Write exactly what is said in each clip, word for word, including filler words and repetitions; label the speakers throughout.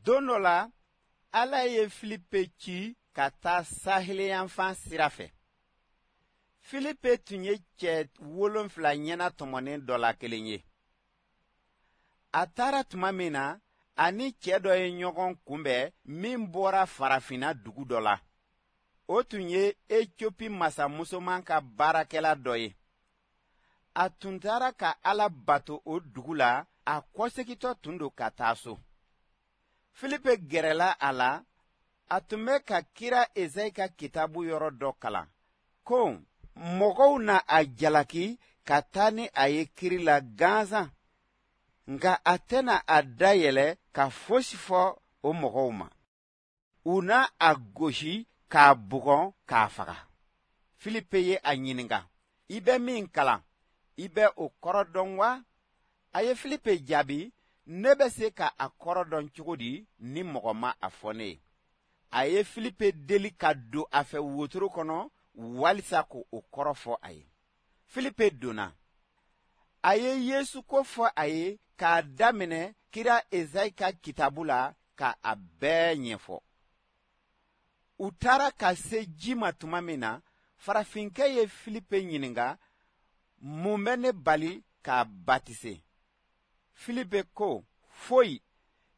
Speaker 1: Don dɔ la, Ala ye Filipe ci ka taa saheliyanfan sira fɛ. Filipe tun ye cɛ wolonfila ɲɛnatɔmɔnen dɔ la kelen ye. A taara tuma min na, a ni cɛ dɔ ye ɲɔgɔn kunbɛn min bɔra farafinna dugu dɔ la. O tun ye Etiopi masamusoman ka baarakɛla dɔ ye. A tun taara ka Ala bato o dugu la, a kɔsegintɔ tun don ka taa so. Filipe gɛrɛla a la, a tun bɛ ka kira Ezayi ka kitabu yɔrɔ dɔ kalan ko mɔgɔw na a jalaki ka taa ni a ye kiri la gansan, nka a tɛna a dayɛlɛ ka fosi fɔ o mɔgɔw ma. U na a gosi k'a bugɔ k'a faga. Filipe ye a ɲininka, i bɛ min kalan, i bɛ o kɔrɔ dɔn wa? A ye Filipe jaabi, ne bɛ se ka a kɔrɔ dɔn cogo di ni mɔgɔ ma a fɔ ne ye? A ye Filipe deli ka don a fɛ wotoro kɔnɔ walisa k'o kɔrɔ fɔ a ye. Filipe donna. A ye Yesu ko fɔ a ye k'a daminɛ kira Ezayi ka kitabu la ka a bɛɛ ɲɛfɔ. U taara ka se ji ma tuma min na, farafinkɛ ye Filipe ɲininka, mun bɛ ne bali k'a batise? Filipe ko, foyi,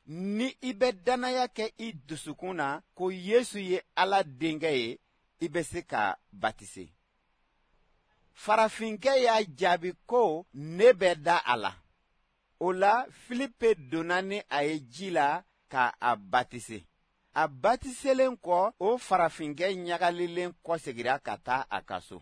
Speaker 1: ni i bɛ dannaya kɛ i dusukun na ko Yesu ye Ala denkɛ ye, i bɛ se ka batise. Farafinkɛ y'a jaabi ko, ne bɛ da a la. O la, Filipe donna ni a ye ji la ka a batise. A batiselen kɔ, o farafinkɛ ɲagalilen kɔsegira ka taa a ka so.